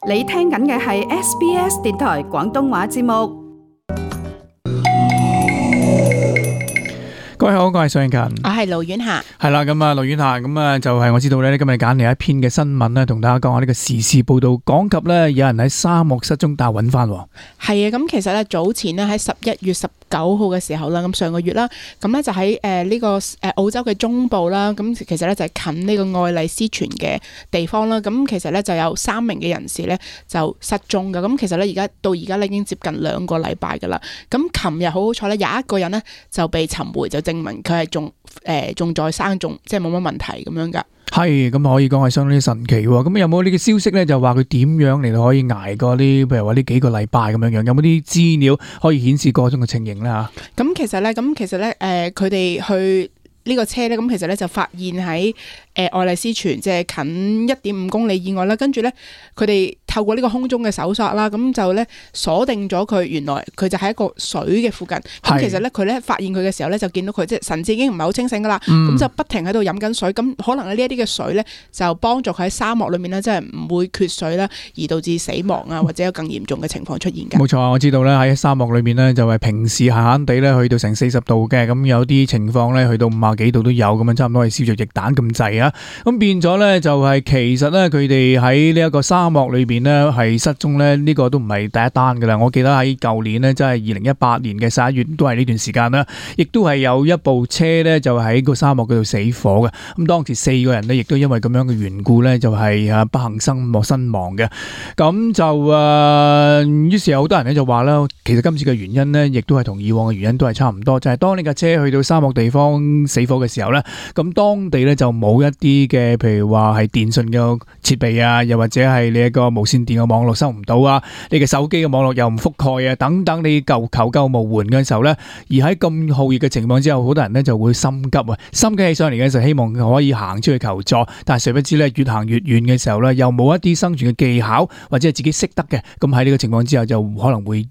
你聽緊嘅係 SBS 電台廣東話節目。各位好，我係尚勤，我係盧婉霞。係啦，咁啊，盧婉霞，咁啊，就係我知道咧，今日揀嚟一篇嘅新聞咧，同大家講下呢個時事報道，講及咧有人喺沙漠失蹤，但係揾翻。係啊，咁其實咧早前咧喺11月19號嘅時候啦，咁上個月啦，咁咧就喺呢個澳洲嘅中部啦，咁其實咧就係近呢個愛麗絲泉嘅地方啦，咁其實咧就有3名嘅人士咧就失蹤㗎，咁其實咧到而家咧已經接近2個禮拜㗎啦，咁琴日好彩咧有一個人咧就被尋回，就證明佢係仲在生，即係冇乜問題咁樣㗎。係，咁可以講係相當之神奇喎。咁有冇呢個消息咧？就話佢點樣嚟到可以捱過呢？譬如話呢幾個禮拜咁樣樣，有冇啲資料可以顯示嗰種嘅情形咧？嚇，咁其實咧，佢哋去呢個車咧，咁其實咧就發現喺愛麗絲泉，即係近1.5公里以外啦。跟住咧，佢哋透過呢個空中嘅搜索啦，咁就咧鎖定咗佢，原來佢就喺一個水嘅附近。咁其實咧，佢咧發現佢嘅時候咧，就見到佢即係神志已經唔係好清醒噶啦。咁就不停喺度飲緊水。咁可能呢一啲嘅水咧，就幫助佢喺沙漠裏面咧，即係唔會缺水啦，而導致死亡啊，或者有更嚴重嘅情況出現㗎。冇錯，我知道咧喺沙漠裏面咧，就係平時閒閒地咧去到成40度嘅，咁有啲情況咧去到50幾度都有，咁樣差唔多係燒着翼蛋咁滯啊！咁變咗咧就係其實咧佢哋喺呢一個沙漠裏邊咧係失蹤咧，呢個都唔係第一單噶啦。我記得喺舊年咧，即係2018年嘅11月都係呢段時間啦，亦都係有一部車咧就喺個沙漠嗰度死火嘅。咁當時4個人咧亦都因為咁樣嘅緣故咧就係不幸身亡嘅。咁就於是有好多人咧就話啦，其實今次嘅原因咧亦都係同以往嘅原因都係差唔多，就係當你架車去到沙漠地方死火嘅時候咧，咁當地咧就冇一啲嘅，譬如話係電信嘅設備啊，又或者係你一個無線電嘅網絡收唔到啊，你嘅手機嘅網絡又唔覆蓋啊，等等，你求救無援嘅時候咧，而喺咁酷熱嘅情況之下，好多人咧就會心急啊，心急起上嚟嘅時候，希望可以行出去求助，但係誰不知咧，越行越遠嘅時候咧，又冇一啲生存嘅技巧或者係自己識得嘅，咁喺呢個情況之下，就可能會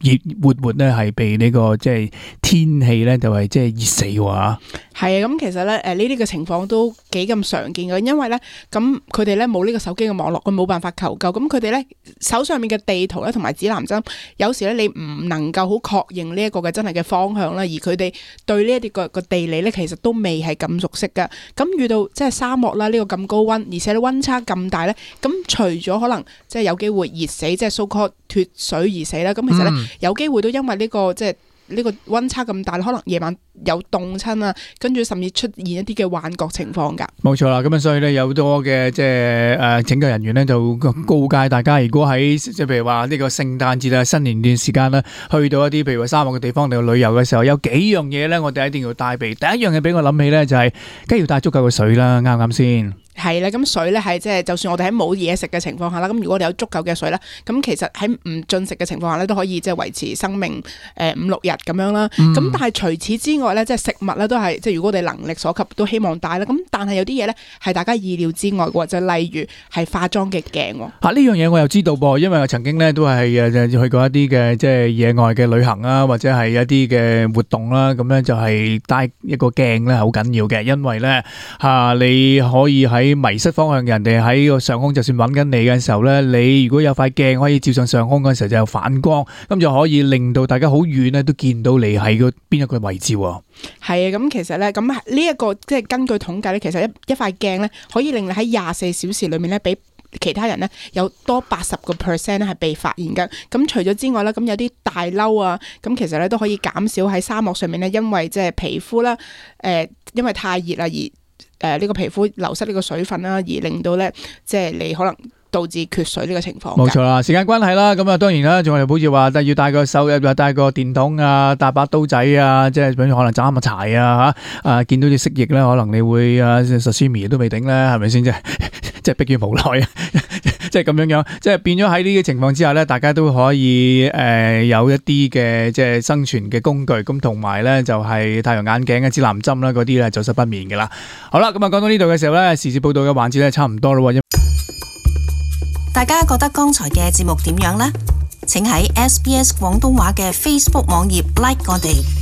活咧係被呢個即係天氣咧就係即係熱死喎。係啊，咁其實咧呢啲嘅情況都幾咁常見嘅，因為咧咁佢哋咧冇呢個手機嘅網絡，佢冇辦法求救，咁佢哋咧手上面嘅地圖咧同埋指南針，有時咧你唔能夠好確認呢一個嘅真係嘅方向啦，而佢哋對呢一啲個地理咧其實都未係咁熟悉㗎，咁遇到即係沙漠啦，呢個咁高溫，而且溫差咁大咧，咁除咗可能即係有機會熱死，即係 so called 脫水而死啦，咁其實咧有機會都因為呢個即係呢個溫差咁大，可能夜晚有凍親啊，跟住甚至出現一啲嘅幻覺情況㗎。冇錯啦，咁啊，所以咧有好多嘅即係拯救人員咧就告誡大家，如果喺即係譬如話呢個聖誕節啊、新年段時間啦，去到一啲譬如話沙漠嘅地方嚟旅遊嘅時候，有幾樣嘢咧，我哋一定要帶備。第一樣嘢俾我諗起咧就係，梗係要帶足夠嘅水啦，啱唔啱先？係啦，咁水咧係即係就算我哋喺冇嘢食嘅情況下啦，咁如果我哋有足夠嘅水咧，咁其實喺唔進食嘅情況下咧都可以即係維持生命5-6日咁樣啦。咁但係除此之外咧，即係食物咧都係即係如果我哋能力所及都希望帶啦。咁但係有啲嘢咧係大家意料之外嘅，就例如係化妝嘅鏡。呢樣嘢我又知道噃，因為我曾經咧都係去過一啲嘅即係野外嘅旅行啊，或者係一啲嘅活動啦，咁咧就係帶一個鏡咧好緊要嘅，因為咧你可以喺迷失方向，人哋喺個上空就算揾緊你嘅時候咧，你如果有塊鏡可以照上上空嗰時候就有反光，咁就可以令到大家好遠咧都見到你喺個邊一個位置。係啊，咁其實咧，咁呢一個即係根據統計咧，其實一塊鏡咧可以令你喺24小時裏面咧，比其他人咧有多80% 咧係被發現嘅。咁除咗之外咧，咁有啲大褸啊，咁其實咧都可以減少喺沙漠上面咧，因為即係皮膚啦，因為太熱啦而呢個皮膚流失呢個水分啦，而令到咧即係你可能導致缺水呢個情況。冇錯啦，時間關係啦，咁啊當然啦，仲係好似話要帶個手又帶個電筒啊，帶把刀仔啊，即係比如可能斬下柴啊嚇，見到隻蜥蜴咧，可能你會sashimi 都未頂啦，係咪先啫？即係迫於無奈啊！即係咁樣，即係變咗喺呢個情況之下咧，大家都可以有一啲嘅即係生存嘅工具，咁同埋咧就係太陽眼鏡嘅指南針啦，嗰啲咧走失不免嘅啦。好啦，咁啊講到呢度嘅時候咧，時事報道嘅環節咧差唔多咯。大家覺得剛才嘅節目點樣呢？請喺SBS 廣東話嘅 Facebook 網頁 like 我哋。